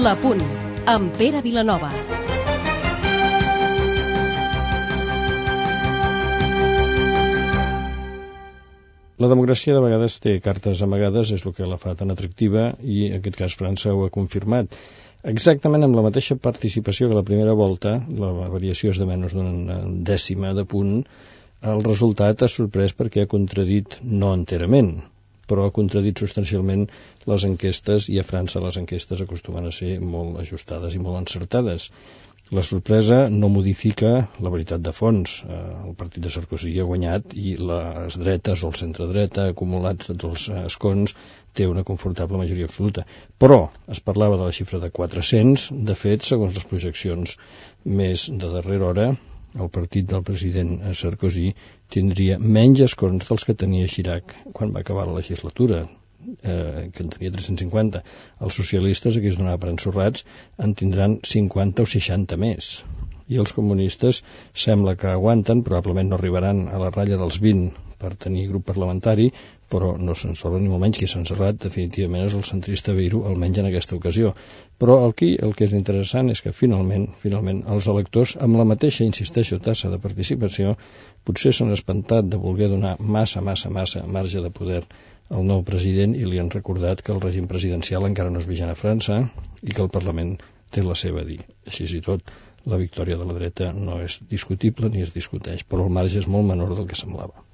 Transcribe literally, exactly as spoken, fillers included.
La Punt, amb Pere Vilanova. La democràcia de vegades té cartes amagades, és el que la fa tan atractiva, i en aquest cas França ho ha confirmat. Exactament amb la mateixa participació que la primera volta, la variació és de menys d'una dècima de punt, el resultat ha sorprès perquè ha contradit, no enterament, però ha contradit substancialment les enquestes, i a França les enquestes acostumen a ser molt ajustades i molt encertades. La sorpresa no modifica la veritat de fons. El partit de Sarkozy ha guanyat i les dretes o el centre-dreta acumulats tots els escons té una confortable majoria absoluta. Però es parlava de la xifra de quatre-cents. De fet, segons les projeccions més de darrera hora, el partit del president Sarkozy tindria menys escons dels que tenia Chirac quan va acabar la legislatura, eh, que en tenia tres-cents cinquanta. Els socialistes, aquí es donava per ensorrats, en tindran cinquanta o seixanta més. I els comunistes sembla que aguanten, probablement no arribaran a la ratlla dels vint per tenir grup parlamentari, però no s'ensorra ni molt menys. Qui s'ha ensorrat definitivament és el centrista Beiro, almenys en aquesta ocasió. Però aquí el que és interessant és que finalment, finalment els electors, amb la mateixa, insisteixo, tassa de participació, potser s'han espantat de voler donar massa, massa, massa marge de poder al nou president, i li han recordat que el règim presidencial encara no és vigent a França i que el Parlament té la seva a dir. Així i tot, la victòria de la dreta no és discutible ni es discuteix, però el marge és molt menor del que semblava.